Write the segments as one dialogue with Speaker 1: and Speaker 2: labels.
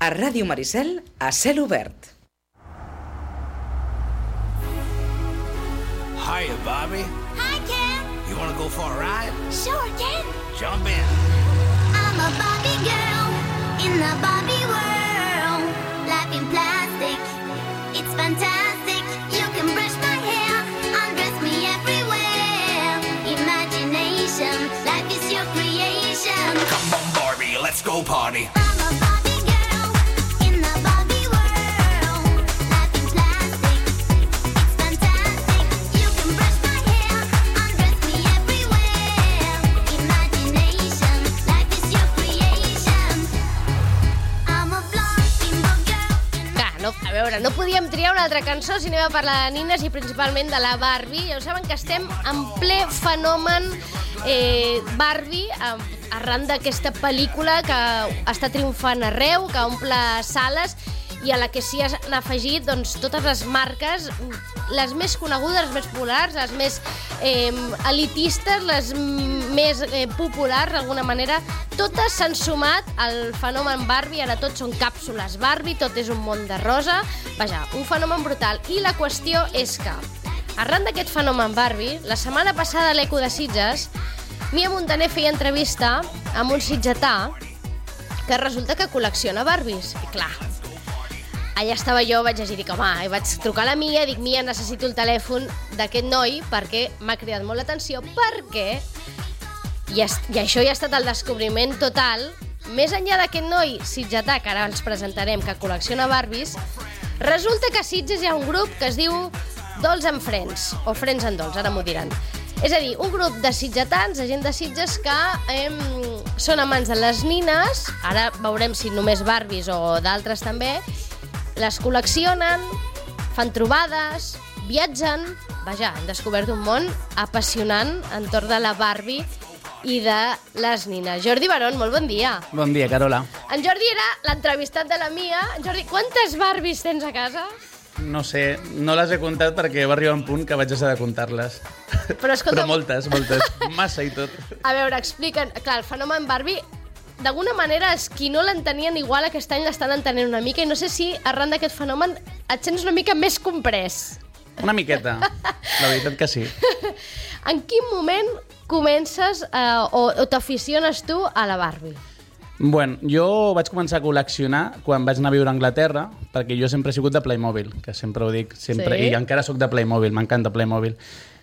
Speaker 1: A Ràdio Maricel, a cel obert.
Speaker 2: Hiya, Bobby.
Speaker 3: Hi, Ken.
Speaker 2: You want to go for a ride?
Speaker 3: Sure, Ken.
Speaker 2: Jump in.
Speaker 3: I'm a Barbie girl in the Barbie world. Life in plastic, it's fantastic. You can brush my hair, undress me everywhere. Imagination, life is your creation.
Speaker 2: Come on, Barbie, let's go party.
Speaker 3: I'm a Barbie girl in the Barbie world. Life in plastic, it's fantastic. You can brush my hair, undress me everywhere. Imagination, life is your creation. I'm a blonde bimbo girl.
Speaker 4: Clar, a veure, no podíem triar una altra cançó si anem a parlar de nines i principalment de la Barbie. Ja ho saben que estem en ple fenomen Barbie, arran d'aquesta pel·lícula que està triomfant arreu, que omple sales i a la que s'hi han afegit doncs, totes les marques, les més conegudes, les més populars, les més elitistes, les més populars d'alguna manera. Totes s'han sumat al fenomen Barbie, ara tots són càpsules Barbie, tot és un món de rosa. Vaja, un fenomen brutal. I la qüestió és que, arran d'aquest fenomen Barbie, la setmana passada a l'Eco de Sitges, Nia Montaner feia entrevista amb un sitgetà que resulta que col·lecciona Barbies. I clar, allà estava jo, vaig llegir, dic, home, i vaig trucar a la Mia, dic, Mia, necessito el telèfon d'aquest noi perquè m'ha cridat molt l'atenció, perquè, i això ja ha estat el descobriment total, més enllà d'aquest noi sitgetà, que ara ens presentarem, que col·lecciona Barbies, resulta que a Sitges hi ha un grup que es diu Dolls and Friends, o Friends and Dolls, ara m'ho diran. És a dir, un grup de sitgetans, de gent de Sitges que són amants de les nines, ara veurem si només Barbies o d'altres també, les col·leccionen, fan trobades, viatgen. Vaja, han descobert un món apassionant entorn de la Barbie i de les nines. Jordi Barón, molt bon dia.
Speaker 5: Bon dia, Carola.
Speaker 4: En Jordi era l'entrevistat de la Mia. En Jordi, quantes Barbies tens a casa?
Speaker 5: No sé, no les he comptat perquè va arribar un punt que vaig deixar de comptar-les.
Speaker 4: Però, escolta,
Speaker 5: Però moltes, massa i tot.
Speaker 4: A veure, explica'n. Clar, el fenomen Barbie, d'alguna manera, els qui no l'entenien igual aquest any l'estan entenent una mica i no sé si arran d'aquest fenomen et sents una mica més comprès.
Speaker 5: Una miqueta, la veritat que sí.
Speaker 4: En quin moment comences o t'aficiones tu a la Barbie?
Speaker 5: Bueno, jo vaig començar a col·leccionar quan vaig anar a viure a Anglaterra, perquè jo sempre he sigut de Playmobil, que sempre ho dic, sempre,
Speaker 4: sí?
Speaker 5: I encara sóc de Playmobil, m'encanta Playmobil.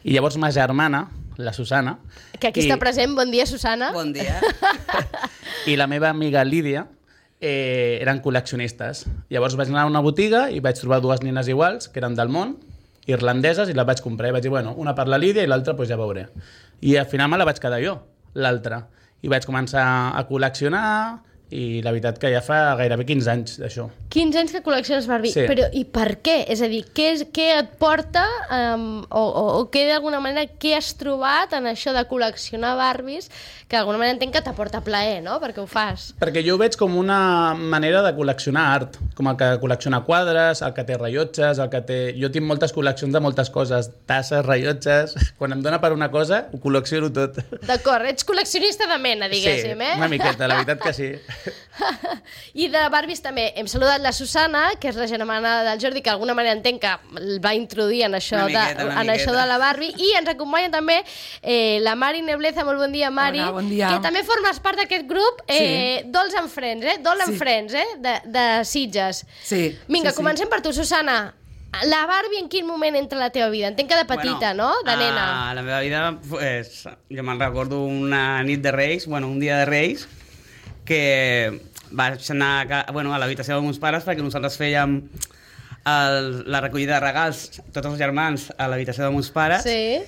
Speaker 5: I llavors ma germana, la Susana...
Speaker 4: Que aquí està present, bon dia, Susana.
Speaker 1: Bon dia.
Speaker 5: I la meva amiga Lídia eren col·leccionistes. Llavors vaig anar a una botiga i vaig trobar dues nines iguals, que eren del món, irlandeses, i les vaig comprar. I vaig dir, bueno, una per la Lídia i l'altra pues ja veuré. I al final me la vaig quedar jo, l'altra. I vaig començar a col·leccionar i la veritat que ja fa gairebé 15 anys d'això.
Speaker 4: 15 anys que col·lecciones Barbie.
Speaker 5: Sí.
Speaker 4: Però i per què? És a dir, què et porta o què d'alguna manera què has trobat en això de col·leccionar Barbies que d'alguna manera entenc que t'aporta plaer, no? Perquè ho fas.
Speaker 5: Perquè jo ho veig com una manera de col·leccionar art, com el que col·lecciona quadres, el que té rellotges, el que té... Jo tinc moltes col·leccions de moltes coses, tasses, rellotges... Quan em dóna per una cosa, ho col·lecciono tot.
Speaker 4: D'acord, ets col·leccionista de mena, diguéssim,
Speaker 5: sí, una miqueta, la veritat que sí.
Speaker 4: I de Barbies també hem saludat la Susana, que és la germana del Jordi, que d'alguna manera entenc que el va introduir en això, això de la Barbie, i ens acompanya també la Mari Nebleza. Molt bon dia, Mari.
Speaker 6: Hola, bon dia.
Speaker 4: Que també formes part d'aquest grup Dolls and Friends, Doll and Friends, de Sitges.
Speaker 6: Sí.
Speaker 4: Vinga, comencem per tu, Susana. La Barbie en quin moment entra a la teva vida? Entenc que de petita, no? De nena.
Speaker 7: A la meva vida, pues, jo me'n recordo una nit de Reis, un dia de Reis, que vaig anar a l'habitació dels meus pares perquè nosaltres fèiem la recollida de regals, tots els germans, a l'habitació dels meus pares.
Speaker 4: Sí.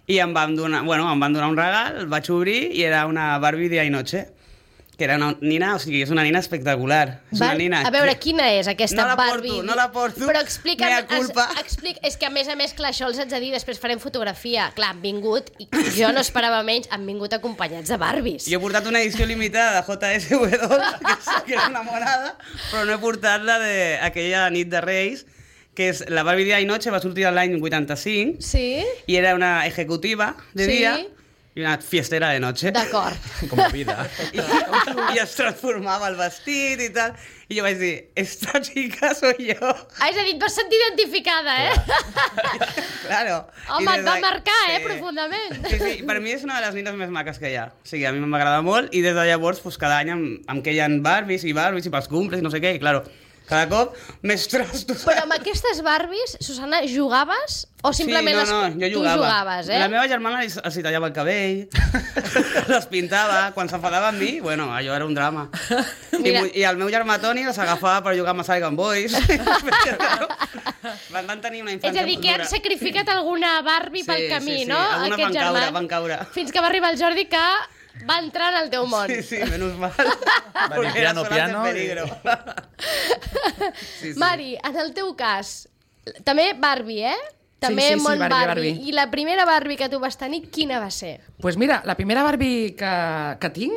Speaker 7: I em van donar un regal, el vaig obrir i era una Barbie Día y Noche, que era una nina, o sigui, és una nina espectacular. És una nina
Speaker 4: a veure, quina és aquesta Barbie?
Speaker 7: No la porto,
Speaker 4: però explica'm,
Speaker 7: mea culpa.
Speaker 4: és que a més, clar, això els haig de dir, després farem fotografia. Clar, han vingut, i jo no esperava menys, han vingut acompanyats de Barbies.
Speaker 7: Jo he portat una edició limitada de JSW, que és una monada, però no he portat la d'aquella nit de Reis, que és la Barbie Día y Noche, va sortir l'any 85,
Speaker 4: sí?
Speaker 7: I era una ejecutiva de dia, i una fiestera de noche.
Speaker 4: D'acord.
Speaker 5: Com la vida.
Speaker 7: I es transformava el vestit i tal. I jo vaig dir, esta chica soy yo.
Speaker 4: És a dir, et vas sentir identificada,
Speaker 7: Claro.
Speaker 4: Home,
Speaker 7: I des
Speaker 4: et va
Speaker 7: de-
Speaker 4: marcar,
Speaker 7: sí.
Speaker 4: profundament.
Speaker 7: Sí, per mi és una de les nines més maques que hi ha. O sigui, a mi m'agrada molt i des de llavors, pues, cada any em queien Barbies i pels cumples i no sé què, i claro, cada cop més trostos.
Speaker 4: Però amb aquestes Barbies, Susana, jugaves o simplement
Speaker 7: sí, no, jo jugava.
Speaker 4: tu jugaves,
Speaker 7: La meva germana els tallava el cabell, les pintava, quan s'enfadava amb mi, bueno, allò era un drama.
Speaker 4: Mira.
Speaker 7: I el meu germà Toni les agafava per jugar amb Saigon Boys. Van tenir una
Speaker 4: És
Speaker 7: infància
Speaker 4: a dir, que han sacrificat alguna Barbie pel camí,
Speaker 7: sí,
Speaker 4: no?
Speaker 7: algunes
Speaker 4: Aquests
Speaker 7: van caure,
Speaker 4: germans.
Speaker 7: van caure.
Speaker 4: Fins que va arribar el Jordi que va entrar en el teu món.
Speaker 7: Sí, menos mal.
Speaker 5: dir
Speaker 7: Porque
Speaker 5: piano,
Speaker 7: era zonas
Speaker 5: piano,
Speaker 7: de peligro. Sí.
Speaker 4: Mari, en el teu cas, també Barbie, També
Speaker 6: sí,
Speaker 4: món
Speaker 6: Barbie,
Speaker 4: Barbie. I la primera Barbie que tu vas tenir, quina va ser?
Speaker 6: Pues mira, la primera Barbie que tinc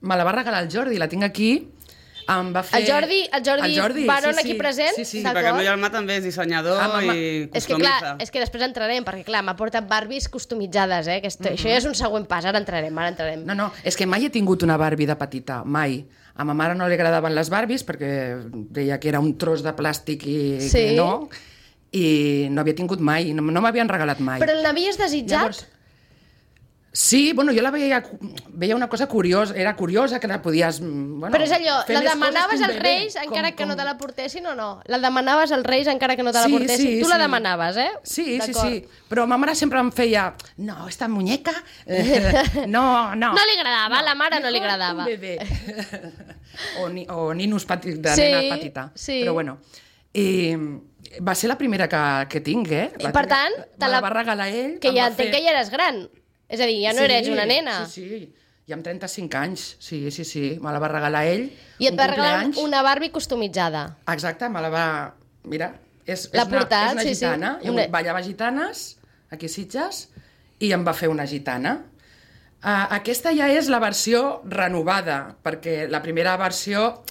Speaker 6: me la va regalar el Jordi, la tinc aquí. Em va fer...
Speaker 4: El Jordi Barón aquí present?
Speaker 6: Sí, sí.
Speaker 4: D'acord.
Speaker 7: Perquè el meu germà també és dissenyador i
Speaker 4: És que clar,
Speaker 7: customitza.
Speaker 4: és que després entrarem, perquè clar, m'ha portat Barbies customitzades, que això ja és un següent pas, ara entrarem.
Speaker 6: No, és que mai he tingut una Barbie de petita, mai. A ma mare no li agradaven les Barbies perquè deia que era un tros de plàstic i
Speaker 4: Sí.
Speaker 6: que no, i no havia tingut mai, no m'havien regalat mai.
Speaker 4: Però l'havies desitjat?
Speaker 6: Llavors, sí, bueno, jo la veia una cosa curiosa, era curiosa que la podies... Bueno,
Speaker 4: Però és allò,
Speaker 6: fer
Speaker 4: la
Speaker 6: més
Speaker 4: demanaves
Speaker 6: coses que un
Speaker 4: als
Speaker 6: bebè,
Speaker 4: Reis encara que no te la
Speaker 6: com-
Speaker 4: portessin o no? La demanaves als Reis encara que no te la portessin? Tu la demanaves,
Speaker 6: Sí,
Speaker 4: D'acord.
Speaker 6: sí. Però ma mare sempre em feia... No, esta muñeca... no.
Speaker 4: No li agradava, a la mare no li agradava.
Speaker 6: Un bebè. o ninos de
Speaker 4: Sí,
Speaker 6: nena petita.
Speaker 4: sí.
Speaker 6: Però bueno. I va ser la primera que tinc,
Speaker 4: I per tant,
Speaker 6: me la va regalar ell.
Speaker 4: Que
Speaker 6: em
Speaker 4: ja
Speaker 6: va
Speaker 4: entenc
Speaker 6: fer-
Speaker 4: que ja eres gran. És a dir, ja no eres una nena.
Speaker 6: Sí. Ja amb 35 anys. Sí. Me la va regalar ell.
Speaker 4: I et
Speaker 6: un
Speaker 4: va regalar
Speaker 6: cumpleaños.
Speaker 4: una Barbie customitzada.
Speaker 6: Exacte, me la va... Mira, és
Speaker 4: L'ha portat,
Speaker 6: és una
Speaker 4: sí,
Speaker 6: gitana.
Speaker 4: sí.
Speaker 6: Jo
Speaker 4: Una-
Speaker 6: ballava gitanes, aquí a Sitges, i em va fer una gitana. Aquesta ja és la versió renovada, perquè la primera versió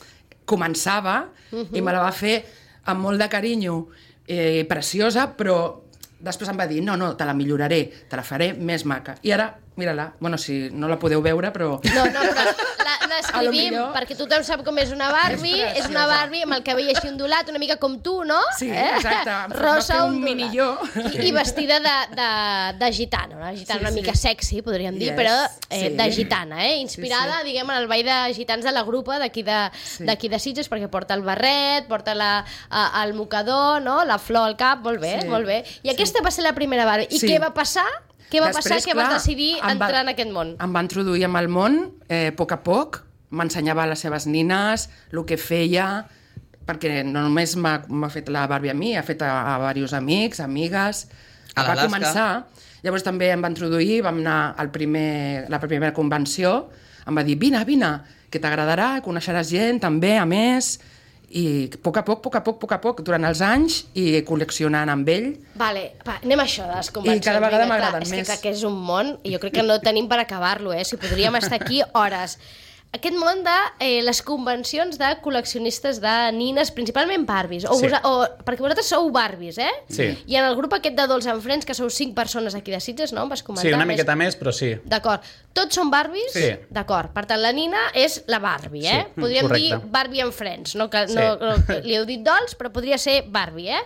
Speaker 6: començava i me la va fer amb molt de carinyo, preciosa, però després em va dir, no, te la milloraré, te la faré més maca. I ara, mira-la, bueno, si no la podeu veure, però...
Speaker 4: No, però
Speaker 6: A lo
Speaker 4: l'escrivim,
Speaker 6: millor-
Speaker 4: perquè tothom sap com és una Barbie.
Speaker 6: És
Speaker 4: És una Barbie amb el cabell així ondulat, una mica com tu, no?
Speaker 6: Sí, exacte. Em va
Speaker 4: Rosa
Speaker 6: fer un
Speaker 4: ondulat.
Speaker 6: minilló.
Speaker 4: I vestida de gitana, una gitana
Speaker 6: Sí,
Speaker 4: una
Speaker 6: sí.
Speaker 4: mica sexy, podríem dir,
Speaker 6: Yes,
Speaker 4: però
Speaker 6: sí.
Speaker 4: de gitana, inspirada, diguem, en el ball de gitans de la grupa d'aquí de Sitges, perquè porta el barret, porta el mocador, no? La flor al cap, molt bé,
Speaker 6: Sí.
Speaker 4: molt bé. I aquesta va ser la primera Barbie. I
Speaker 6: Sí.
Speaker 4: què va passar? Què va passar
Speaker 6: Després,
Speaker 4: que vas
Speaker 6: clar,
Speaker 4: decidir entrar en aquest món?
Speaker 6: Em va introduir en el món, a poc, m'ensenyava a les seves nines, el que feia, perquè no només m'ha fet la Barbie a mi, ha fet a diversos amics, amigues...
Speaker 7: A
Speaker 6: Va
Speaker 7: l'Alaska.
Speaker 6: començar, llavors també em va introduir, vam anar a la primera convenció, em va dir, vine, que t'agradarà, coneixeràs gent, també, a més... I a poc, durant els anys, i col·leccionant amb ell.
Speaker 4: Vale, anem a això de les convencions.
Speaker 6: I cada vegada
Speaker 4: Vinga,
Speaker 6: m'agraden
Speaker 4: clar,
Speaker 6: més.
Speaker 4: És que clar, que és un món, i jo crec que no tenim per acabar-lo, si podríem estar aquí hores. Aquest món de les convencions de col·leccionistes de nines, principalment Barbies,
Speaker 5: Sí.
Speaker 4: perquè vosaltres sou Barbies,
Speaker 5: Sí.
Speaker 4: I en el grup aquest de Dolls and Friends, que sou 5 persones aquí de Sitges, no? Em vas comentar.
Speaker 5: Sí, una miqueta més, però sí.
Speaker 4: D'acord. Tots són Barbies?
Speaker 5: Sí.
Speaker 4: D'acord. Per tant, la nina és la Barbie,
Speaker 5: Sí,
Speaker 4: Podríem
Speaker 5: correcte.
Speaker 4: dir Barbie and Friends, no? Que,
Speaker 5: Sí.
Speaker 4: no, li heu dit Dolls, però podria ser Barbie,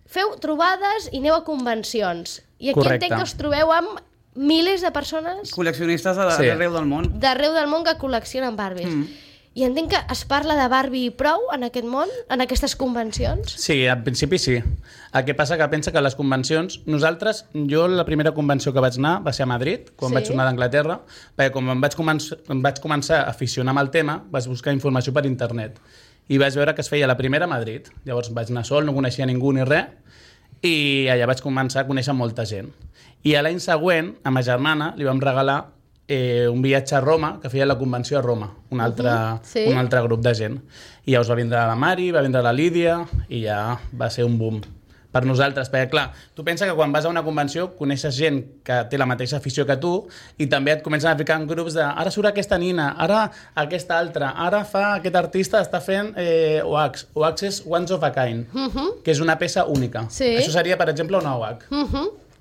Speaker 4: Feu trobades i aneu a convencions. I aquí
Speaker 5: Correcte.
Speaker 4: entenc que us trobeu amb milers de persones
Speaker 7: Col·leccionistes
Speaker 5: Sí.
Speaker 7: d'arreu del món.
Speaker 4: d'arreu del món que col·leccionen Barbies. I entenc que es parla de Barbie i prou en aquest món, en aquestes convencions?
Speaker 5: Sí, al principi sí. El que passa que pensa que les convencions... Jo la primera convenció que vaig anar va ser a Madrid, quan
Speaker 4: Sí.
Speaker 5: vaig tornar d'Anglaterra, perquè quan em vaig començar a aficionar amb el tema, vaig buscar informació per internet. I vaig veure que es feia la primera a Madrid. Llavors vaig anar sol, no coneixia ningú ni res, i allà vaig començar a conèixer molta gent. I a l'any següent, a ma germana, li vam regalar un viatge a Roma, que feia la convenció a Roma, un
Speaker 4: sí.
Speaker 5: altre grup de gent. I llavors va vindre la Mari, va vindre la Lídia, i ja va ser un boom per nosaltres, perquè clar, tu pensa que quan vas a una convenció coneixes gent que té la mateixa afició que tu i també et comencen a ficar en grups de ara surt aquesta nina, ara aquesta altra, ara fa aquest artista està fent OAX. OAX és Once of a Kind, que és una peça única.
Speaker 4: Sí.
Speaker 5: Això seria, per exemple, una OAC.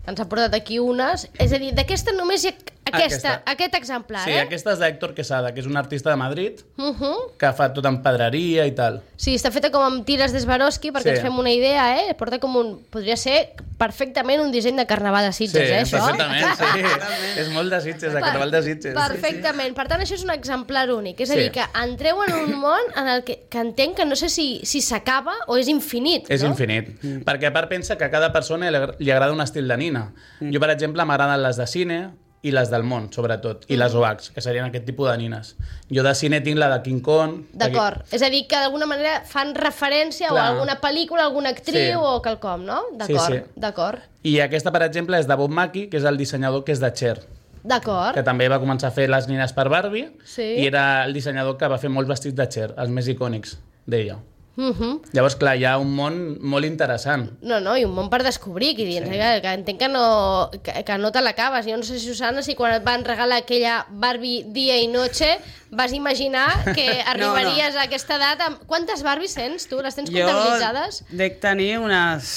Speaker 4: Ens ha portat aquí unes. És a dir, d'aquesta només hi ha Aquest exemplar,
Speaker 5: Sí,
Speaker 4: eh?
Speaker 5: aquesta és d'Héctor Quesada, que és un artista de Madrid,
Speaker 4: Uh-huh.
Speaker 5: que fa tot en pedreria i tal.
Speaker 4: Sí, està feta com amb tires de Swarovski, perquè
Speaker 5: Sí.
Speaker 4: ens fem una idea, eh? Porta com un... Podria ser perfectament un disseny de carnaval de Sitges, això?
Speaker 5: perfectament, sí. És molt de Sitges, de carnaval de Sitges.
Speaker 4: Perfectament. Per tant, això és un exemplar únic. És a
Speaker 5: Sí.
Speaker 4: dir, que entreu en un món en el que entenc que no sé si s'acaba o és infinit,
Speaker 5: És
Speaker 4: no?
Speaker 5: infinit. Perquè a part pensa que a cada persona li agrada un estil de nina. Jo, per exemple, m'agraden les de cine i les del món, sobretot, i les OACs, que serien aquest tipus de nines. Jo de cine tinc la de King Kong...
Speaker 4: D'acord. És a dir, que d'alguna manera fan referència
Speaker 5: Clar.
Speaker 4: o a alguna pel·lícula, alguna actriu
Speaker 5: Sí.
Speaker 4: o quelcom, no? D'acord,
Speaker 5: Sí.
Speaker 4: d'acord.
Speaker 5: I aquesta, per exemple, és de Bob Mackie, que és el dissenyador que és de Cher,
Speaker 4: D'acord.
Speaker 5: que també va començar a fer les nines per Barbie,
Speaker 4: Sí.
Speaker 5: i era el dissenyador que va fer molts vestits de Cher, els més icònics d'ella. Llavors, clar, hi ha un món molt interessant.
Speaker 4: No, i un món per descobrir aquí dins, que entenc que no te l'acabes. Jo no sé, Susana, si quan et van regalar aquella Barbie dia i noche vas imaginar que arribaries a aquesta edat amb... Quantes Barbies tens, tu? Les tens comptabilitzades?
Speaker 7: Jo dec tenir unes...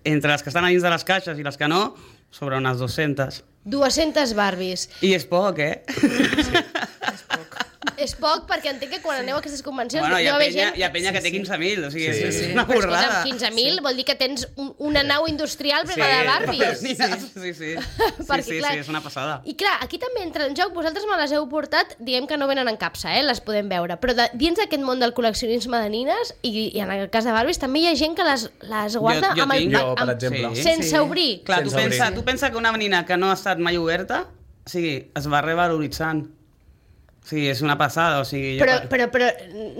Speaker 7: Entre les que estan a dins de les caixes i les que no, sobre unes 200.
Speaker 4: 200 Barbies.
Speaker 7: I és poc, eh?
Speaker 4: És poc perquè entenc que quan aneu a aquestes convencions...
Speaker 7: Bueno, hi
Speaker 4: deu
Speaker 7: ha
Speaker 4: haver
Speaker 7: penya,
Speaker 4: gent-
Speaker 7: hi ha penya que té 15.000, o sigui,
Speaker 5: Sí.
Speaker 7: és una
Speaker 4: Però
Speaker 7: borrada.
Speaker 4: escolta'm, 15.000 vol dir que tens una nau industrial plena de Barbies.
Speaker 7: Sí.
Speaker 4: Perquè,
Speaker 7: Sí,
Speaker 4: clar,
Speaker 7: és una passada.
Speaker 4: I clar, aquí també entra en joc, vosaltres me les heu portat, diguem que no venen en capsa, les podem veure, però dins d'aquest món del col·leccionisme de nines, i en el cas de Barbies, també hi ha gent que les guarda
Speaker 7: Jo
Speaker 4: amb el...
Speaker 7: tinc.
Speaker 5: Jo, per exemple.
Speaker 4: Sense obrir.
Speaker 7: Clar,
Speaker 5: Sense obrir.
Speaker 7: tu pensa que una nina que no ha estat mai oberta, o sigui, es va revaloritzant. O sigui, és una passada, o sigui...
Speaker 4: Però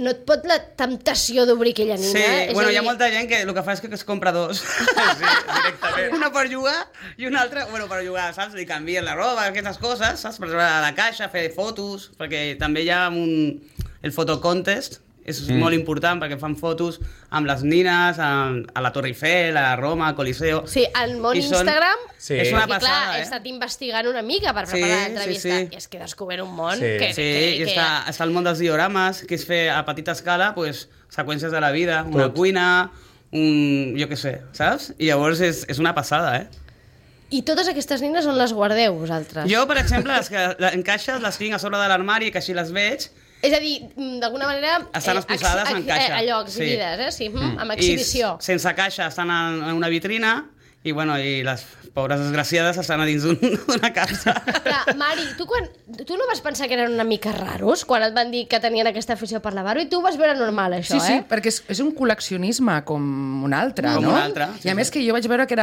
Speaker 4: no et pot la temptació d'obrir aquella nina?
Speaker 7: Sí,
Speaker 4: És
Speaker 7: bueno,
Speaker 4: a
Speaker 7: hi ha
Speaker 4: dir,
Speaker 7: molta gent que el que fa és que es compra dos.
Speaker 5: Sí, directament.
Speaker 7: Una per jugar i una altra, bueno, per jugar, saps? Li canvien la roba, aquestes coses, saps? Per treure a la caixa, fer fotos, perquè també hi ha el photo contest, és molt important perquè fan fotos amb les nines a la Torre Eiffel, a Roma, al Coliseo.
Speaker 4: Sí, al món
Speaker 7: I són-
Speaker 4: Instagram...
Speaker 5: Sí.
Speaker 7: És una
Speaker 4: Perquè, clar,
Speaker 7: passada,
Speaker 4: he estat investigant una mica per
Speaker 7: Sí,
Speaker 4: preparar l'entrevista
Speaker 7: sí.
Speaker 4: i és que he descobert un món
Speaker 5: Sí.
Speaker 4: que...
Speaker 7: Sí, i està el món dels diorames, que és fer a petita escala pues, seqüències de la vida, una
Speaker 5: Tot.
Speaker 7: cuina, jo què sé, saps? I llavors és una passada, eh?
Speaker 4: I totes aquestes nines on les guardeu, vosaltres?
Speaker 7: Jo, per exemple, les que en caixes les tinc a sobre de l'armari, que així les veig,
Speaker 4: És a dir, d'alguna manera...
Speaker 7: estan exposades en caixa.
Speaker 4: Allò, exhibides,
Speaker 7: Sí.
Speaker 4: Sí, amb exhibició.
Speaker 7: I sense caixa estan en una vitrina i, bueno, i les pobres desgraciades estan a dins d'una capsa.
Speaker 4: Clar, Mari, tu no vas pensar que eren una mica raros quan et van dir que tenien aquesta afició per la Barbie? Tu ho vas veure normal, això,
Speaker 6: Sí,
Speaker 4: eh?
Speaker 6: perquè és un col·leccionisme com un altre,
Speaker 7: Com
Speaker 6: no?
Speaker 7: un altre, sí,
Speaker 6: I a més que jo vaig veure que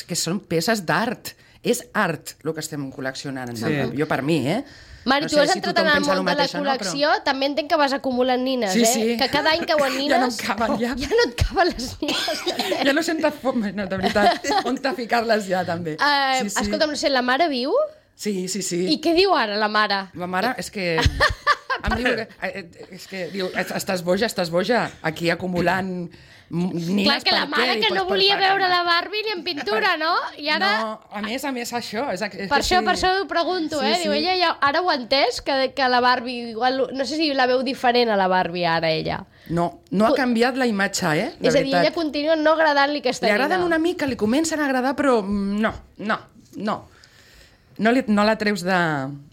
Speaker 6: que són peces d'art. És art el que estem col·leccionant.
Speaker 7: Sí.
Speaker 6: Jo per mi, eh?
Speaker 4: Mari,
Speaker 6: No
Speaker 4: tu
Speaker 6: sé
Speaker 4: has
Speaker 6: si
Speaker 4: entrat
Speaker 6: tothom
Speaker 4: en el
Speaker 6: pensa el
Speaker 4: món de la
Speaker 6: mateix o no, però-
Speaker 4: col·lecció, també entenc que vas acumulant nines,
Speaker 6: Sí,
Speaker 4: eh?
Speaker 6: sí.
Speaker 4: Que cada any cauen nines...
Speaker 6: Ja no em caben, ja.
Speaker 4: Ja no et caben les nines.
Speaker 6: Ja no sento fom, no, de veritat. On te ficar-les ja, també.
Speaker 4: Escolta'm, no sé, la mare viu?
Speaker 6: Sí, sí, sí.
Speaker 4: I què diu ara, la mare?
Speaker 6: La mare, és que... Em diu, és que diu, estàs boja, aquí acumulant nines.
Speaker 4: Clar, que la
Speaker 6: per
Speaker 4: mare
Speaker 6: què?
Speaker 4: que no
Speaker 6: Pues
Speaker 4: volia veure la Barbie ni en pintura, no? I ara...
Speaker 6: No, a més, això. És
Speaker 4: Per això ho pregunto,
Speaker 6: Sí,
Speaker 4: eh?
Speaker 6: sí.
Speaker 4: Diu, ella ja, ara ho ha entès, que la Barbie... Igual, no sé si la veu diferent a la Barbie ara, ella.
Speaker 6: No ha canviat la imatge, eh? De
Speaker 4: És a dir,
Speaker 6: veritat.
Speaker 4: ella continua no agradant-li aquesta
Speaker 6: Li agraden
Speaker 4: nina.
Speaker 6: una mica, li comencen a agradar, però no. No la treus de...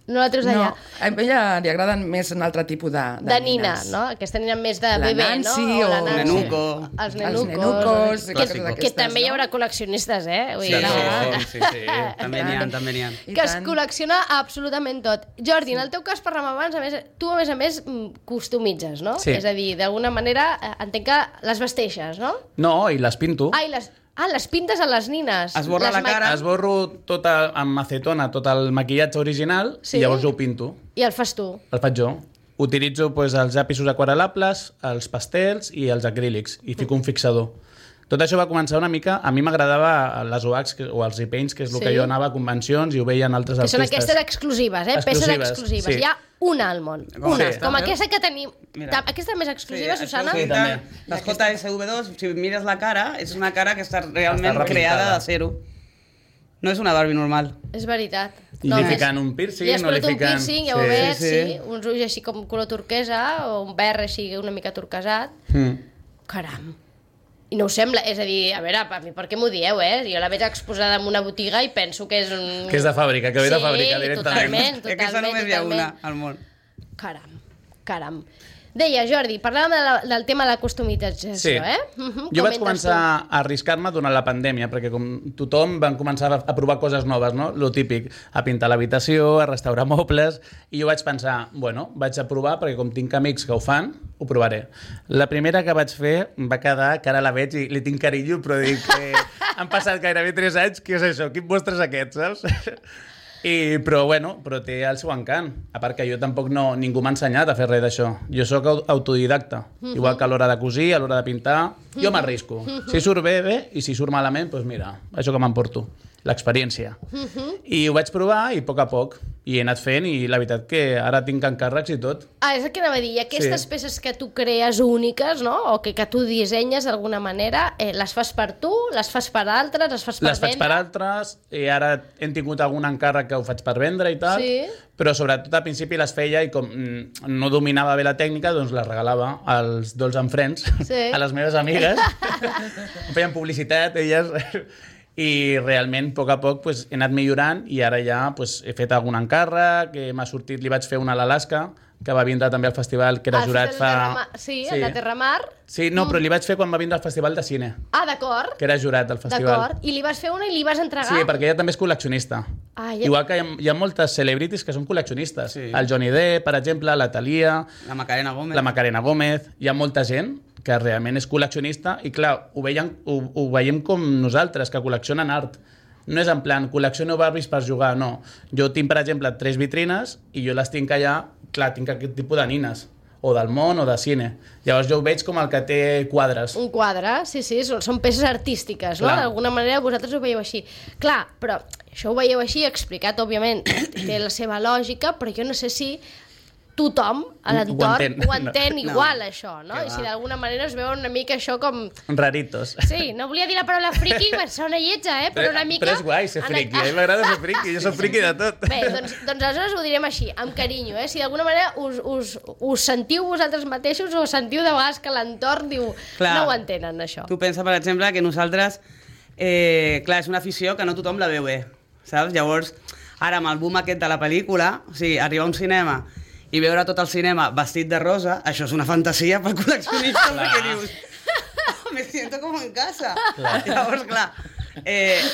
Speaker 4: No la treus d'allà.
Speaker 6: A ella li agraden més un altre tipus
Speaker 4: De nina,
Speaker 6: nines.
Speaker 4: no? Aquesta nina més de
Speaker 6: La
Speaker 4: bebè,
Speaker 6: Nancy
Speaker 4: no?
Speaker 6: o
Speaker 4: la Nancy.
Speaker 7: Nenuco.
Speaker 4: Els
Speaker 6: Els
Speaker 4: nenucos.
Speaker 6: nenucos,
Speaker 4: Que,
Speaker 6: coses
Speaker 4: que
Speaker 6: d'aquestes,
Speaker 4: també hi
Speaker 6: no?
Speaker 4: haurà col·leccionistes, eh? Vull
Speaker 7: Sí,
Speaker 4: dir,
Speaker 7: sí. També n'hi ha.
Speaker 6: I
Speaker 4: que es
Speaker 6: tant.
Speaker 4: col·lecciona absolutament tot. Jordi, en el teu cas, parlàvem abans, a més, customitzes, no?
Speaker 5: Sí.
Speaker 4: És a dir, d'alguna manera, entenc que les vesteixes, no?
Speaker 5: No, i les pinto.
Speaker 4: Ai, les pintes a les nines.
Speaker 7: Esborra
Speaker 4: Les
Speaker 7: la cara.
Speaker 5: Esborro tot amb acetona, tot el maquillatge original,
Speaker 4: Sí?
Speaker 5: i llavors jo ho pinto.
Speaker 4: I el fas tu.
Speaker 5: El faig jo. Utilitzo doncs, els llapisos aquarel·lables, els pastels i els acrílics, i fico un fixador. Tot això va començar una mica... A mi m'agradava les OACs o els repaints, que és el
Speaker 4: Sí.
Speaker 5: que jo anava a convencions i ho veien altres
Speaker 4: Que són
Speaker 5: artistes.
Speaker 4: aquestes exclusives, eh? Peces
Speaker 5: Exclusives,
Speaker 4: exclusives.
Speaker 5: sí.
Speaker 4: Hi ha una al món.
Speaker 7: Com
Speaker 4: Una.
Speaker 7: aquesta,
Speaker 4: Com
Speaker 7: veus?
Speaker 4: aquesta que tenim.
Speaker 7: Mira.
Speaker 4: Aquesta més exclusiva, Susana?
Speaker 5: Sí, també.
Speaker 7: Les JSV2, si mires la cara, és una cara que està realment
Speaker 5: Està repintada.
Speaker 7: creada de zero. No és una Barbie normal.
Speaker 4: És veritat.
Speaker 5: I li fiquen un piercing,
Speaker 4: Li has
Speaker 5: no li
Speaker 4: posat un
Speaker 5: fiquen...
Speaker 4: piercing, ja ho veig,
Speaker 7: Sí,
Speaker 4: sí,
Speaker 7: sí.
Speaker 4: uns ulls així com color turquesa, o un verd així una mica turquesat.
Speaker 5: Mm.
Speaker 4: Caram. I no ho sembla, és a dir, a veure, a mi per què m'ho dieu, Jo la veig exposada en una botiga i penso que és un...
Speaker 5: Que és de fàbrica, que ve de fàbrica directament.
Speaker 4: Totalment,
Speaker 7: És que aquesta només hi ha una al món.
Speaker 4: Caram. Deia, Jordi, parlàvem del tema de la customització,
Speaker 5: Sí. Jo vaig començar a arriscar-me durant la pandèmia, perquè com tothom van començar a provar coses noves, no? Lo típic, a pintar l'habitació, a restaurar mobles, i jo vaig pensar, bueno, vaig a provar, perquè com tinc amics que ho fan, ho provaré. La primera que vaig fer va quedar, que ara la veig i li tinc carinyo, però dic, han passat gairebé 3 anys, què és això? Quin vostre és aquest, saps? Però té el seu encant. A part que jo tampoc ningú m'ha ensenyat a fer res d'això. Jo sóc autodidacta. Igual que a l'hora de cosir, a l'hora de pintar, jo m'arrisco. Si surt bé, i si surt malament, doncs mira, això que m'emporto, l'experiència. I ho vaig provar i a poc i he anat fent i la veritat que ara tinc encàrrecs i tot.
Speaker 4: És el que anava a dir. I aquestes peces que tu crees úniques, no? O que tu dissenyes d'alguna manera, les fas per tu, les fas per altres, les fas per
Speaker 5: Les faig per
Speaker 4: vendre?
Speaker 5: altres, i ara hem tingut algun encàrrec que ho faig per vendre i tal,
Speaker 4: Sí.
Speaker 5: però sobretot al principi les feia i com no dominava bé la tècnica, doncs les regalava als Dolls and Friends,
Speaker 4: Sí.
Speaker 5: a les meves amigues. Em feien publicitat, elles... I realment, a poc, pues, he anat millorant i ara ja pues, he fet algun encàrrec, que m'ha sortit, li vaig fer una a l'Alaska, que va vindre també al festival, que era jurat fa...
Speaker 4: Sí, el de Terramar.
Speaker 5: Sí, no, però li vaig fer quan va vindre al Festival de Cine,
Speaker 4: D'acord.
Speaker 5: que era jurat al festival.
Speaker 4: D'acord. I li vas fer una i li vas entregar?
Speaker 5: Sí, perquè ella també és col·leccionista.
Speaker 4: Ja.
Speaker 5: Igual que hi ha moltes celebrities que són col·leccionistes.
Speaker 7: Sí.
Speaker 5: El Johnny Depp, per exemple, la Thalia,
Speaker 7: La Macarena Gómez.
Speaker 5: la Macarena Gómez... Hi ha molta gent que realment és col·leccionista i, clar, ho veiem com nosaltres, que col·leccionen art. No és en plan, col·lecciono Barbies per jugar, no. Jo tinc, per exemple, 3 vitrines i jo les tinc allà, clar, tinc aquest tipus de nines, o del món o de cine. Llavors jo ho veig com el que té quadres.
Speaker 4: Un quadre, sí, són peces artístiques, no?
Speaker 5: Clar.
Speaker 4: D'alguna manera vosaltres ho veieu així. Clar, però això ho veieu així, explicat, òbviament, té la seva lògica, però jo no sé si tothom a l'entorn ho entén igual, això, no? I si d'alguna manera es veuen una mica això com...
Speaker 5: Raritos.
Speaker 4: Sí, no volia dir la paraula friki, perquè sona lletja, però una mica...
Speaker 5: Però és guai ser friki, a mi m'agrada ser friki, jo soc friki de tot.
Speaker 4: Bé, doncs aleshores ho direm així, amb carinyo, Si d'alguna manera us sentiu vosaltres mateixos o sentiu de vegades que l'entorn diu
Speaker 7: Clar.
Speaker 4: no ho entenen, això.
Speaker 7: Tu pensa, per exemple, que nosaltres... clar, és una afició que no tothom la veu bé, saps? Llavors, ara amb el boom aquest de la pel·lícula, o sigui, arribar a un cinema i veure tot el cinema vestit de rosa, això és una fantasia pel col·leccionista, perquè dius, me siento como en casa. Llavors, clar,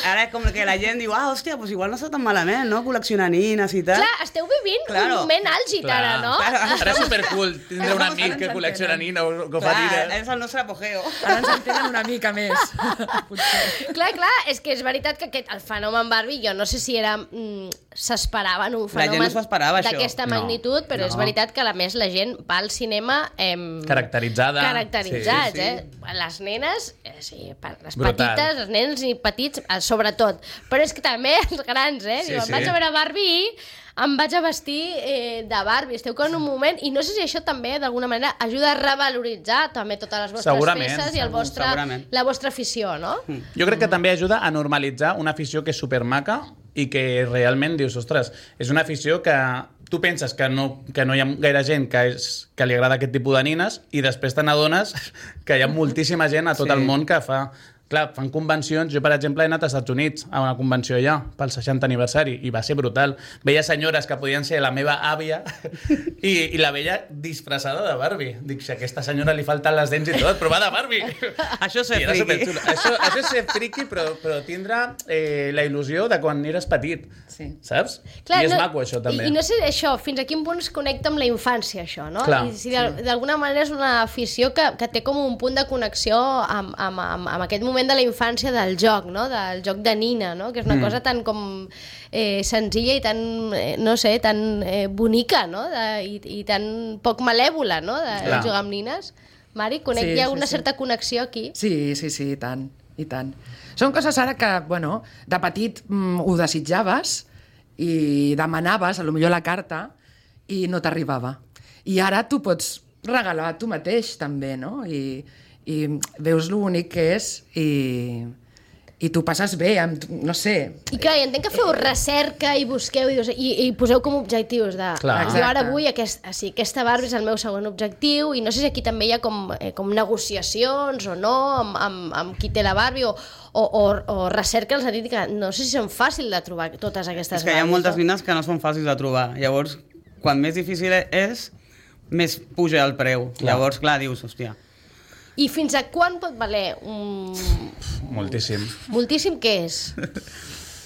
Speaker 7: ara com que la gent diu, hòstia, pues igual no està tan malament, no?, col·leccionar nines i tal.
Speaker 4: Clar, esteu vivint un moment àlgid ara, no?
Speaker 5: Ara és supercool tindre un amic que col·lecciona nina o que fa
Speaker 7: Clar,
Speaker 5: nines.
Speaker 7: és el nostre apogeo.
Speaker 6: Ara ens entenen una mica més. Potser.
Speaker 4: Clar, és que és veritat que el fenomen Barbie, jo no sé si era... s'esperaven un
Speaker 7: La gent
Speaker 4: fenomen
Speaker 7: no s'ho esperava, això.
Speaker 4: d'aquesta
Speaker 5: No,
Speaker 4: magnitud, però és
Speaker 7: no.
Speaker 4: veritat que a més la gent va al cinema...
Speaker 5: Caracteritzada.
Speaker 4: Caracteritzats,
Speaker 7: Sí, sí.
Speaker 4: Les nenes, sí, les
Speaker 5: Brutal.
Speaker 4: petites, els nens i petits, sobretot. Però és que també els grans,
Speaker 5: Sí,
Speaker 4: Diuen,
Speaker 5: sí.
Speaker 4: vaig a veure Barbie i em vaig a vestir de Barbie. Esteu en un moment... I no sé si això també, d'alguna manera, ajuda a revaloritzar també totes les vostres
Speaker 5: Segurament,
Speaker 4: peces i
Speaker 7: segurament.
Speaker 4: la vostra afició, no?
Speaker 5: Jo crec que també ajuda a normalitzar una afició que és supermaca i que realment dius, ostres, és una afició que tu penses que no hi ha gaire gent que li agrada aquest tipus de nines i després te n'adones que hi ha moltíssima gent a tot
Speaker 7: Sí.
Speaker 5: el món que fa... Clar, fan convencions. Jo, per exemple, he anat als Estats Units a una convenció allà, pel 60 aniversari, i va ser brutal. Veia senyores que podien ser la meva àvia i la veia disfressada de Barbie. Dic, si a aquesta senyora li falten les dents i tot, però va de Barbie.
Speaker 7: Això és ser
Speaker 5: I era
Speaker 7: friki.
Speaker 5: superxulo. Això és ser friki, però tindre la il·lusió de quan eres petit.
Speaker 6: Sí.
Speaker 5: Saps? I és maco, això, també.
Speaker 4: I no sé això, fins a quin punt es connecta amb la infància, això, no?
Speaker 5: Clar.
Speaker 4: I si d'alguna manera és una afició que té com un punt de connexió amb aquest moment de la infància del joc, no? Del joc de nina, no? Que és una cosa tan com senzilla i tan, no sé, tan bonica, no? I tan poc malèvola, no? De
Speaker 5: Clar.
Speaker 4: jugar amb nines. Mari,
Speaker 6: Sí,
Speaker 4: hi ha
Speaker 6: sí,
Speaker 4: una
Speaker 6: sí.
Speaker 4: certa connexió aquí.
Speaker 6: Sí, i tant, i tant. Són coses ara que, bueno, de petit ho desitjaves i demanaves, potser la carta, i no t'arribava. I ara tu pots regalar tu mateix, també, no? I veus lo bonic que és i tu passes bé, amb, no sé...
Speaker 4: I clar, entenc que feu recerca i busqueu i poseu com objectius de...
Speaker 5: Clar.
Speaker 4: Jo ara vull aquesta Barbie és el meu segon objectiu i no sé si aquí també hi ha com negociacions o no amb qui té la Barbie o recerca en el sentit que no sé si són fàcils de trobar totes aquestes
Speaker 7: És que hi ha
Speaker 4: Barbies,
Speaker 7: moltes
Speaker 4: no?
Speaker 7: nines que no són fàcils de trobar. Llavors, quan més difícil és, més puja el preu.
Speaker 5: Clar.
Speaker 7: Llavors, clar, dius, hòstia...
Speaker 4: I fins a quan pot valer
Speaker 5: Moltíssim.
Speaker 4: moltíssim què és?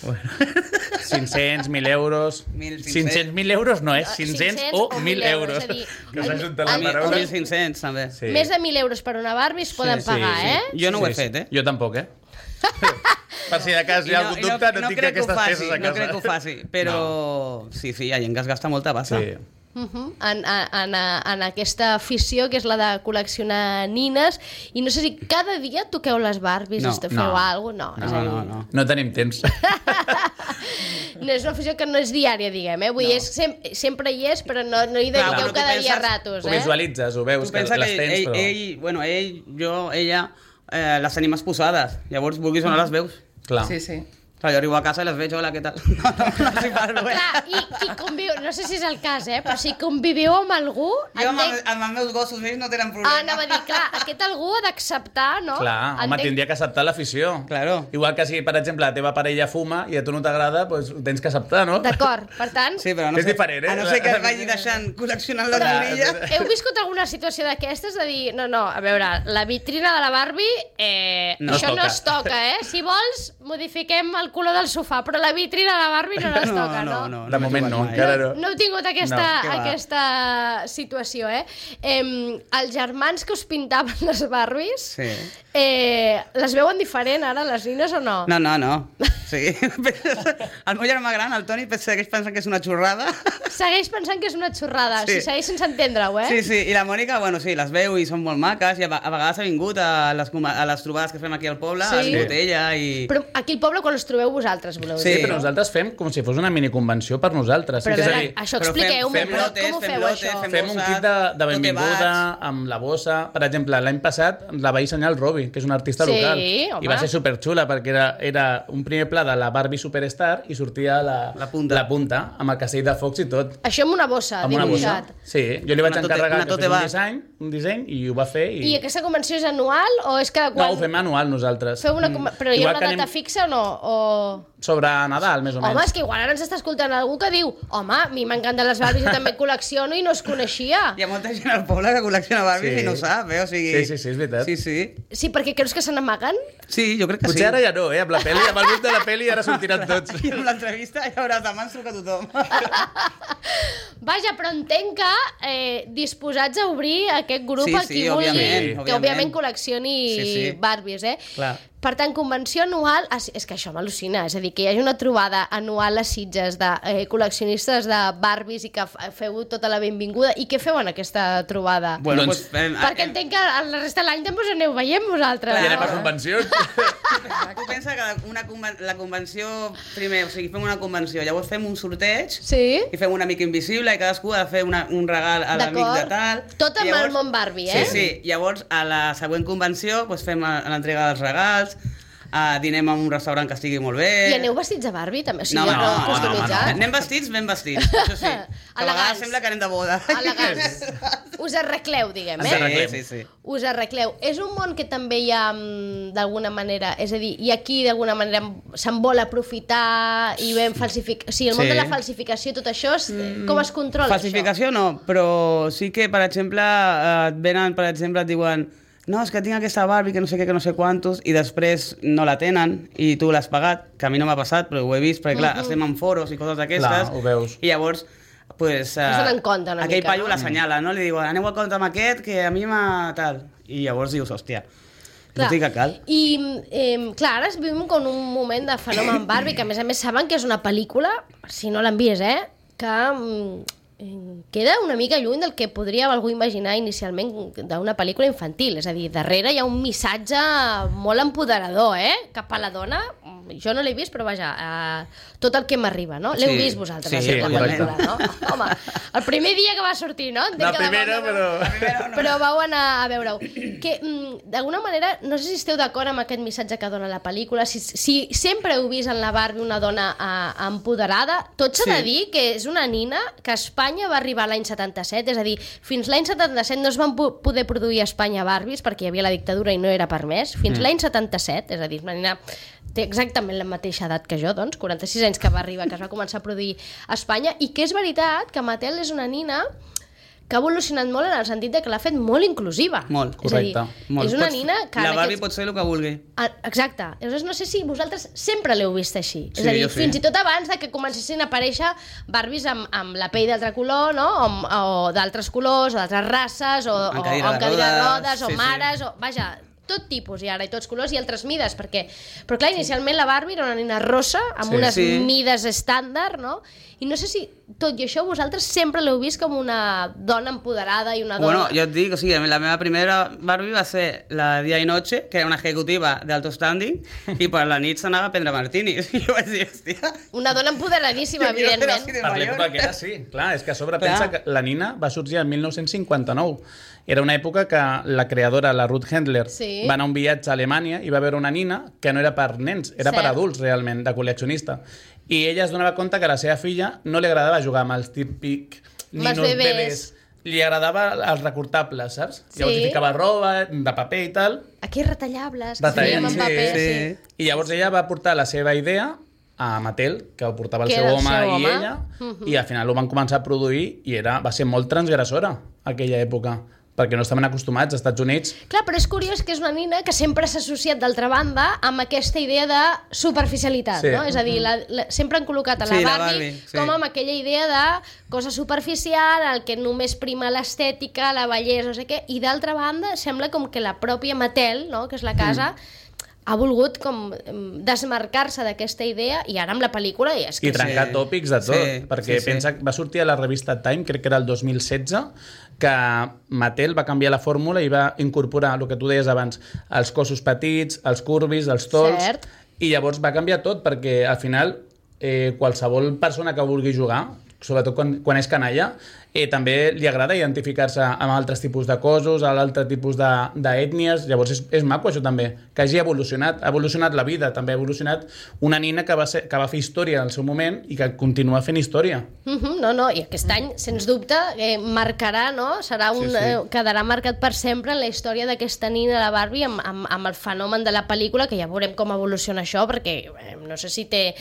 Speaker 5: 500, 1.000 euros...
Speaker 7: 1.500.
Speaker 5: 500.000 euros no és, 500 o 1.000 euros.
Speaker 4: És a dir,
Speaker 5: Que s'ha juntat la
Speaker 4: el-
Speaker 5: paraula.
Speaker 7: O 1.500, també.
Speaker 5: Sí.
Speaker 4: Més de 1.000 euros per una Barbie es poden
Speaker 5: Sí,
Speaker 4: pagar,
Speaker 5: sí.
Speaker 4: eh?
Speaker 7: Jo no ho he fet, eh?
Speaker 5: Jo tampoc, eh? Per si de cas hi ha algun dubte, no tinc
Speaker 7: crec que ho
Speaker 5: aquestes
Speaker 7: faci,
Speaker 5: peces a casa.
Speaker 7: No crec que ho faci, però... Sí, hi ha gent que es gasta molta pasta.
Speaker 5: Sí.
Speaker 4: En aquesta afició que és la de col·leccionar nines i no sé si cada dia toqueu les Barbies,
Speaker 7: No,
Speaker 4: feu
Speaker 5: no.
Speaker 4: alguna cosa, no, és a dir,
Speaker 7: No.
Speaker 5: No tenim temps.
Speaker 4: no és una afició que no és diària, diguem, Vull dir, sempre hi és, però no hi
Speaker 7: Clar,
Speaker 4: dediqueu
Speaker 7: però tu
Speaker 4: cada dia
Speaker 7: penses-
Speaker 4: ratos,
Speaker 5: Ho visualitzes, ho veus,
Speaker 7: Tu
Speaker 5: que
Speaker 7: pensa
Speaker 5: les
Speaker 7: que
Speaker 5: tens, però...
Speaker 7: ella, les tenim exposades. Llavors, vulguis o no les veus.
Speaker 5: Clar.
Speaker 6: Sí, sí.
Speaker 7: Clar, jo arribo a casa i les veig, hola, què tal? No s'hi parlo, eh?
Speaker 4: Clar, i qui conviu, no sé si és el cas, però si conviviu amb algú...
Speaker 7: Jo amb
Speaker 4: entenc-
Speaker 7: els meus gossos, ells no tenen problema.
Speaker 4: anava a dir, clar, aquest algú ha d'acceptar, no?
Speaker 5: Clar, home, tindria que acceptar l'afició.
Speaker 7: Claro.
Speaker 5: Igual que si, per exemple, la teva parella fuma i a tu no t'agrada, doncs ho tens que acceptar, no?
Speaker 4: D'acord, per tant...
Speaker 7: Sí, però no
Speaker 5: És diferent, eh?
Speaker 7: A no ser que es vagi deixant col·leccionant les
Speaker 5: Clar,
Speaker 7: borilles.
Speaker 4: Heu viscut alguna situació d'aquestes de dir, no, a veure, la vitrina de la Barbie,
Speaker 7: No
Speaker 4: això
Speaker 5: es
Speaker 4: no
Speaker 5: toca.
Speaker 4: es toca, Si vols, modifiquem el color del sofà, però la vitrina de la Barbie no es toca, no?
Speaker 5: De moment no, encara no.
Speaker 4: No heu tingut aquesta,
Speaker 7: No, què va.
Speaker 4: aquesta situació, Els germans que us pintaven les Barbies,
Speaker 7: Sí.
Speaker 4: les veuen diferent ara, les nines, o no?
Speaker 7: No. Sí. El meu germà gran, el Toni, segueix pensant que és una xorrada.
Speaker 4: Segueix pensant que és una xorrada,
Speaker 7: Sí.
Speaker 4: segueix sense entendre-ho,
Speaker 7: Sí, i la Mònica, bueno, sí, les veu i són molt maques, i a vegades ha vingut a les trobades que fem aquí al poble,
Speaker 4: Sí.
Speaker 7: ha vingut ella i...
Speaker 4: Però aquí al poble, quan els trobeu vosaltres, voleu
Speaker 7: Sí,
Speaker 4: dir?
Speaker 5: Sí, però nosaltres fem com si fos una miniconvenció per nosaltres.
Speaker 4: Però a
Speaker 5: és a
Speaker 4: veure,
Speaker 5: dir,
Speaker 4: això
Speaker 7: però
Speaker 4: expliqueu-me,
Speaker 7: fem
Speaker 4: però
Speaker 7: lotes,
Speaker 4: com ho
Speaker 7: fem
Speaker 4: feu,
Speaker 7: lotes,
Speaker 4: això?
Speaker 5: fem un
Speaker 7: bossa,
Speaker 5: kit de
Speaker 7: tote
Speaker 5: benvinguda
Speaker 7: bags.
Speaker 5: amb la bossa. Per exemple, l'any passat la va dissenyar el Robi, que és un artista
Speaker 4: Sí,
Speaker 5: local.
Speaker 4: home.
Speaker 5: I va ser superxula, perquè era un primer pla de la Barbie Superstar i sortia
Speaker 7: La punta.
Speaker 5: amb el castell de focs i tot.
Speaker 4: Això amb una bossa,
Speaker 5: Amb una bossa.
Speaker 4: dibuixat.
Speaker 5: Sí, jo li vaig
Speaker 7: Una tote-
Speaker 5: encarregar
Speaker 7: una
Speaker 5: que
Speaker 7: tote
Speaker 5: fes
Speaker 7: bag.
Speaker 5: un disseny i ho va fer.
Speaker 4: I aquesta convenció és anual o és que
Speaker 5: No,
Speaker 4: quan...
Speaker 5: ho fem anual nosaltres.
Speaker 4: Feu una... Però hi ha
Speaker 5: Igual
Speaker 4: una
Speaker 5: que
Speaker 4: data
Speaker 5: anem
Speaker 4: fixa o no? O...
Speaker 5: Sobre Nadal, més o menys.
Speaker 4: Home, és que igual ara ens està escoltant algú que diu home, a mi m'encanten les Barbies, jo també col·lecciono i no es coneixia.
Speaker 7: Hi ha molta gent al poble que col·lecciona Barbies
Speaker 5: Sí.
Speaker 7: i no ho sap, O sigui...
Speaker 5: Sí, és veritat.
Speaker 7: Sí.
Speaker 4: Sí, perquè creus que se n'amaguen?
Speaker 7: Sí, jo crec que
Speaker 5: Potser
Speaker 7: sí.
Speaker 5: ara ja no, amb la peli, amb el grup de la peli ara sortiran tots.
Speaker 7: I amb l'entrevista ja veuràs, demà ens truca tothom.
Speaker 4: Vaja, però entenc que disposats a obrir aquest grup
Speaker 7: Sí,
Speaker 4: a qui
Speaker 7: sí,
Speaker 4: vulgui,
Speaker 7: òbviament,
Speaker 4: que òbviament col·leccioni
Speaker 7: Sí.
Speaker 4: Barbies,
Speaker 7: Clar.
Speaker 4: Per tant, convenció anual... És que això m'al·lucina, és a dir, que hi hagi una trobada anual a Sitges de col·leccionistes de Barbies i que feu tota la benvinguda. I què feu en aquesta trobada?
Speaker 7: Bueno,
Speaker 5: Doncs-
Speaker 7: doncs...
Speaker 4: Perquè entenc que la resta de l'any també us aneu veient vosaltres.
Speaker 5: I anem a
Speaker 4: no?
Speaker 5: convencions.
Speaker 7: Tu pensa que la convenció... Primer, o sigui, fem una convenció, llavors fem un sorteig
Speaker 4: Sí?
Speaker 7: i fem un amic invisible i cadascú ha de fer un regal a l'amic de tal.
Speaker 4: Tot amb
Speaker 7: I
Speaker 4: el món Barbie,
Speaker 7: Sí. Llavors, a la següent convenció doncs fem l'entrega dels regals, dinem en un restaurant que estigui molt bé...
Speaker 4: I aneu vestits de Barbie, també? O sigui,
Speaker 7: No,
Speaker 4: customitzats?
Speaker 7: Anem vestits, ben vestits, això sí. Que a
Speaker 4: Elegants.
Speaker 7: vegades sembla que anem de boda.
Speaker 4: Elegants. Us arregleu, diguem,
Speaker 5: Ens arreglem.
Speaker 7: Sí.
Speaker 4: Us arregleu. És un món que també hi ha, d'alguna manera, és a dir, i aquí d'alguna manera se'n vol aprofitar i ben falsificar... O sigui, el món
Speaker 7: Sí.
Speaker 4: de la falsificació, tot això, com es controla,
Speaker 7: Falsificació no, però sí que, per exemple, et venen, per exemple, et diuen no, és que tinc aquesta Barbie que no sé què, que no sé quantos, i després no la tenen i tu l'has pagat, que a mi no m'ha passat, però ho he vist, perquè clar, estem en foros i coses d'aquestes,
Speaker 5: Clar, ho veus.
Speaker 7: i llavors pues,
Speaker 4: Es donen compte una
Speaker 7: aquell
Speaker 4: mica,
Speaker 7: paio
Speaker 4: no?
Speaker 7: l'assenyala, no? Li diuen, aneu a compte amb aquest, que a mi m'ha tal. I llavors dius, hòstia, no dic que cal.
Speaker 4: I, clar, ara vivim com un moment de fenomen Barbie, que a més saben que és una pel·lícula, si no l'han vist, que queda una mica lluny del que podria algú imaginar inicialment d'una pel·lícula infantil. És a dir, darrere hi ha un missatge molt empoderador, cap a la dona, jo no l'he vist, però vaja, tot el que m'arriba, no? L'heu vist vosaltres,
Speaker 7: sí,
Speaker 4: la pel·lícula, no? Home, el primer dia que va sortir, no? Entenc
Speaker 5: La
Speaker 4: que
Speaker 5: primera,
Speaker 4: però... Però vau anar a veure-ho. Que, d'alguna manera, no sé si esteu d'acord amb aquest missatge que dona la pel·lícula, si sempre heu vist en la Barbie una dona empoderada, tot s'ha de dir que és una nina que a Espanya va arribar l'any 77, és a dir, fins l'any 77 no es van poder produir a Espanya Barbies perquè hi havia la dictadura i no era permès, fins l'any 77, és a dir, una nina té exactament la mateixa edat que jo, doncs, 46 anys que va arribar, que es va començar a produir a Espanya, i que és veritat que Mattel és una nina que ha evolucionat molt en el sentit de que l'ha fet molt inclusiva.
Speaker 7: Molt,
Speaker 5: correcte.
Speaker 4: És una nina que...
Speaker 7: La Barbie pot ser el que vulgui.
Speaker 4: Exacte. Llavors no sé si vosaltres sempre l'heu vist així.
Speaker 7: Sí,
Speaker 4: és a dir,
Speaker 7: jo sí.
Speaker 4: fins i tot abans de que comencessin a aparèixer Barbies amb la pell d'altre color, no? O d'altres colors, o d'altres races, o
Speaker 7: Amb
Speaker 4: amb
Speaker 7: cadira de
Speaker 4: cadira de
Speaker 7: rodes,
Speaker 4: rodes, o
Speaker 7: sí, sí.
Speaker 4: mares, o... Vaja, tot tipus, i ara, i tots colors, i altres mides, perquè... Però clar, inicialment la Barbie era una nina rossa, amb unes mides estàndard, no? I no sé si, tot i això, vosaltres sempre l'heu vist com una dona empoderada i una dona...
Speaker 7: Bueno, jo et dic, o sigui, la meva primera Barbie va ser la Dia i Noche, que era una ejecutiva d'alto standing, i per la nit s'anava a prendre martinis. I jo vaig dir, hòstia...
Speaker 4: Una dona empoderadíssima,
Speaker 7: jo quiero ser
Speaker 4: evidentment.
Speaker 7: así de
Speaker 5: Per
Speaker 7: mayor.
Speaker 5: l'època que era, sí. Clar, és que a sobre
Speaker 7: Clar.
Speaker 5: pensa que la Nina va sorgir el 1959. Era una època que la creadora, la Ruth Handler,
Speaker 4: Sí.
Speaker 5: va anar a un viatge a Alemanya i va veure una nina que no era per nens, era per
Speaker 4: Cert.
Speaker 5: adults, realment, de col·leccionista. I ella es donava compte que a la seva filla no li agradava jugar amb els típics
Speaker 4: Amb els
Speaker 5: ninos
Speaker 4: bebès.
Speaker 5: Li agradava els recortables, saps?
Speaker 4: Sí.
Speaker 5: Llavors hi ficava roba, de paper i tal.
Speaker 4: Aquí retallables, que
Speaker 5: Retallables,
Speaker 4: fèiem en
Speaker 5: sí,
Speaker 4: paper,
Speaker 7: sí.
Speaker 4: sí.
Speaker 5: I llavors ella va portar la seva idea a Mattel, que ho portava el
Speaker 4: Que
Speaker 5: seu
Speaker 4: era el
Speaker 5: home
Speaker 4: seu
Speaker 5: i
Speaker 4: home.
Speaker 5: ella, i al final ho van començar a produir i va ser molt transgressora aquella època, perquè no estaven acostumats als Estats Units.
Speaker 4: Clar, però és curiós que és una nina que sempre s'ha associat, d'altra banda, amb aquesta idea de superficialitat,
Speaker 5: Sí.
Speaker 4: no? És a dir, sempre han col·locat a la
Speaker 7: Sí, la
Speaker 4: Barbie,
Speaker 7: Barbie, sí.
Speaker 4: com amb aquella idea de cosa superficial, el que només prima l'estètica, la bellesa, no sé què, i d'altra banda sembla com que la pròpia Mattel, no?, que és la casa, ha volgut com desmarcar-se d'aquesta idea, i ara amb la pel·lícula és que
Speaker 5: I trencar
Speaker 7: Sí.
Speaker 5: tòpics de tot,
Speaker 7: Sí,
Speaker 5: perquè
Speaker 7: sí.
Speaker 5: pensa que va sortir a la revista Time, crec que era el 2016, que Mattel va canviar la fórmula i va incorporar el que tu deies abans, els cossos petits, els curvis, els tols,
Speaker 4: Cert.
Speaker 5: i llavors va canviar tot, perquè al final qualsevol persona que vulgui jugar, sobretot quan és canalla, també li agrada identificar-se amb altres tipus de cossos, amb altres tipus d'ètnies, llavors és maco això també, que hagi evolucionat, ha evolucionat la vida, també ha evolucionat una nina que va fer història en el seu moment i que continua fent història.
Speaker 4: No, i aquest any, sens dubte, marcarà, no? Serà quedarà marcat per sempre en la història d'aquesta nina, la Barbie, amb el fenomen de la pel·lícula, que ja veurem com evoluciona això, perquè no sé si té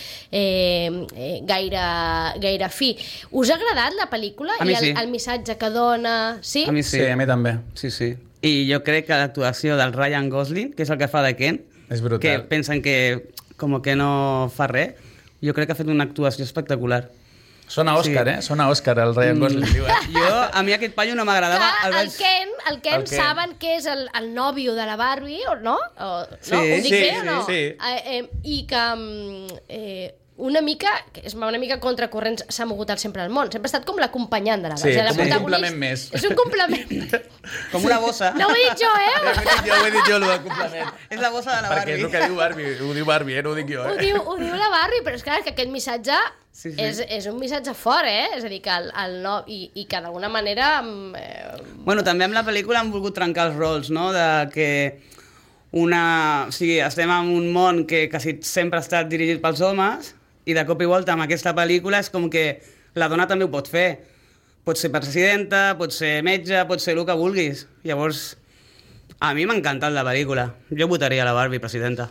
Speaker 4: gaire fi. Us ha agradat la pel·lícula?
Speaker 7: A mi sí.
Speaker 4: El missatge que dona... Sí?
Speaker 7: A mi
Speaker 5: Sí,
Speaker 7: sí.
Speaker 5: a mi també.
Speaker 7: Sí, sí. I jo crec que l'actuació del Ryan Gosling, que és el que fa de Ken,
Speaker 5: És brutal.
Speaker 7: que pensen que com que no fa res, jo crec que ha fet una actuació espectacular.
Speaker 5: Sona Òscar,
Speaker 7: Sí.
Speaker 5: Sona Òscar, el Ryan Gosling, diu,
Speaker 7: A mi aquest paio no m'agradava.
Speaker 4: Clar, el Ken
Speaker 5: Ken.
Speaker 4: saben que és el nòvio de la Barbie, o no?
Speaker 7: Sí,
Speaker 4: no? Ho dic
Speaker 5: sí,
Speaker 4: bé o
Speaker 5: sí,
Speaker 4: no?
Speaker 5: sí.
Speaker 4: I que una mica contracorrents s'ha mogut sempre al món. Sempre ha estat com l'acompanyant de la Barbie.
Speaker 5: Sí,
Speaker 4: La
Speaker 5: com un
Speaker 4: protagonista-
Speaker 5: complement més.
Speaker 4: És un complement.
Speaker 7: Com una bossa.
Speaker 4: No ho he dit jo,
Speaker 5: ho he dit jo, el del complement.
Speaker 7: És la bossa de la
Speaker 5: Perquè és
Speaker 7: Barbie.
Speaker 5: el que diu Barbie, ho diu Barbie, no ho dic jo.
Speaker 4: Ho diu la Barbie, però és clar que aquest missatge
Speaker 7: Sí.
Speaker 4: és un missatge fort, És a dir, que el no... I que d'alguna manera...
Speaker 7: Bueno, també amb la pel·lícula han volgut trencar els rols, no? De que o sigui, estem en un món que quasi sempre ha estat dirigit pels homes i de cop i volta amb aquesta pel·lícula és com que la dona també ho pot fer. Pot ser presidenta, pot ser metge, pot ser el que vulguis. Llavors, a mi m'ha encantat la pel·lícula. Jo votaria la Barbie presidenta.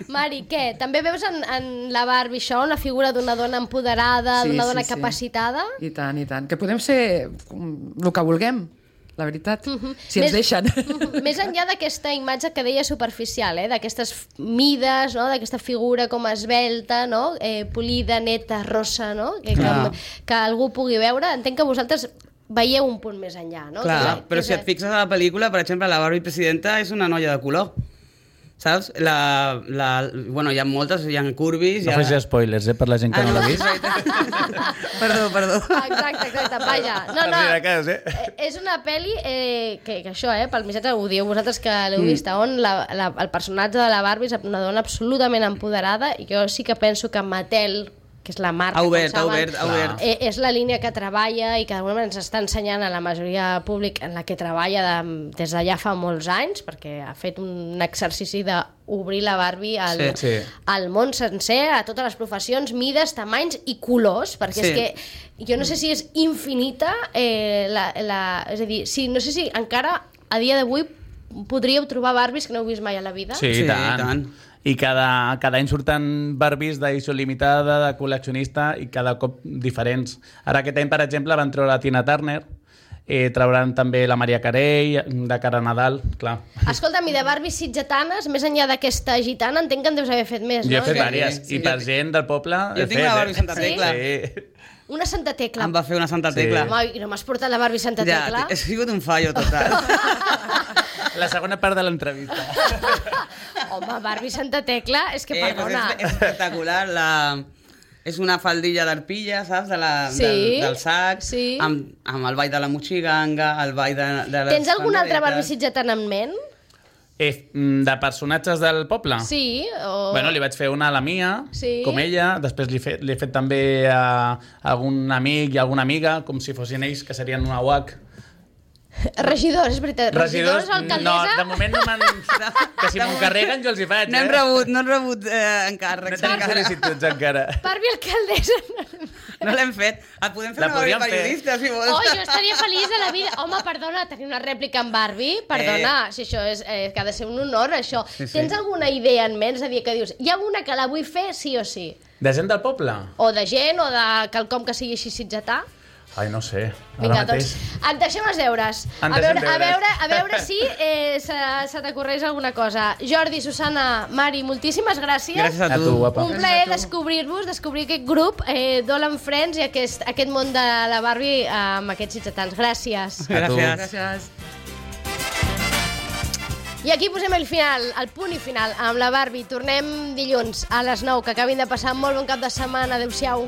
Speaker 4: Mari, què? També veus en la Barbie això, la figura d'una dona empoderada, d'una dona capacitada?
Speaker 6: I tant, i tant. Que podem ser el que vulguem, la veritat, si ens
Speaker 4: Més-
Speaker 6: deixen.
Speaker 4: Més enllà d'aquesta imatge que deia superficial, d'aquestes mides, no? D'aquesta figura com esvelta, no? Polida, neta, rossa, no? Que algú pugui veure. Entenc que vosaltres veieu un punt més enllà, no?
Speaker 7: Clar, però si et fixes a la pel·lícula, per exemple, la Barbie presidenta és una noia de color. saps? Bueno, hi ha moltes, hi ha curvis...
Speaker 5: No facis spoilers, per la gent que no l'ha vist.
Speaker 7: Perdó.
Speaker 4: Exacte, vaja. No, és una pel·li que això, pel missatge ho dieu vosaltres que l'heu vist, on el personatge de la Barbie és una dona absolutament empoderada i jo sí que penso que Mattel, que és la marca,
Speaker 7: ha obert.
Speaker 4: És la línia que treballa i que d'alguna manera ens està ensenyant a la majoria públic en la que treballa des d'allà fa molts anys, perquè ha fet un exercici d'obrir la Barbie al món sencer, a totes les professions, mides, tamanys i colors, perquè és que jo no sé si és infinita, és a dir, no sé si encara a dia d'avui podríeu trobar Barbies que no heu vist mai a la vida.
Speaker 5: Sí, i tant. I cada any surten Barbies d'edició limitada, de col·leccionista, i cada cop diferents. Ara aquest any, per exemple, van treure la Tina Turner, trauran també la Maria Carey, de cara a Nadal, clar.
Speaker 4: Escolta'm, i de Barbies sitgetanes, més enllà d'aquesta gitana, entenc que en deus haver fet més, no?
Speaker 5: Jo he fet diverses, i per gent del poble...
Speaker 7: Jo tinc una Barbie Santa Tecla.
Speaker 4: Una Santa Tecla.
Speaker 7: Em va fer una Santa Tecla.
Speaker 4: Home, i no m'has portat la Barbie Santa Tecla?
Speaker 7: Ja, he sigut un fallo total.
Speaker 5: La segona part de l'entrevista.
Speaker 4: Home, Barbie Santa Tecla, és que perdona.
Speaker 7: És espectacular, és una faldilla d'arpilla, saps, del sac, amb el ball de la mochiganga, el ball de les...
Speaker 4: Tens alguna altra Barbie sitgetana en ment?
Speaker 5: De personatges del poble?
Speaker 4: Sí.
Speaker 5: Bueno, li vaig fer una a la Mia, com ella, després li he fet també a algun amic i alguna amiga, com si fossin ells, que serien una UAC.
Speaker 4: Regidors, és veritat. Regidors, alcaldessa...
Speaker 5: No, de moment no m'han... Que si m'ho carreguen jo els hi faig,
Speaker 7: No hem rebut encàrrecs.
Speaker 5: No tenim sol·licituds encara.
Speaker 4: Barbie alcaldessa.
Speaker 7: No l'hem fet. Et podem fer una Barbie periodista, si vols.
Speaker 4: Oh, jo estaria feliç de la vida. Home, perdona, tenir una rèplica amb Barbie, perdona, si això és... que ha de ser un honor, això. Tens alguna idea en ment? És a dir, que dius, hi ha una que la vull fer sí o sí?
Speaker 5: De gent del poble?
Speaker 4: O de gent, o de quelcom que sigui així sitgetà?
Speaker 5: Ai, no sé.
Speaker 4: Vinga, doncs, et deixem els deures. A veure si se t'ocorreix alguna cosa. Jordi, Susana, Mari, moltíssimes gràcies.
Speaker 7: Gràcies a tu,
Speaker 5: guapa.
Speaker 4: Un plaer descobrir-vos, descobrir aquest grup, Dolan Friends, i aquest món de la Barbie amb aquests sitgetans. Gràcies.
Speaker 7: Gràcies.
Speaker 4: I aquí posem el final, el punt i final, amb la Barbie. Tornem dilluns a les 9, que acabin de passar molt bon cap de setmana. Adéu-siau.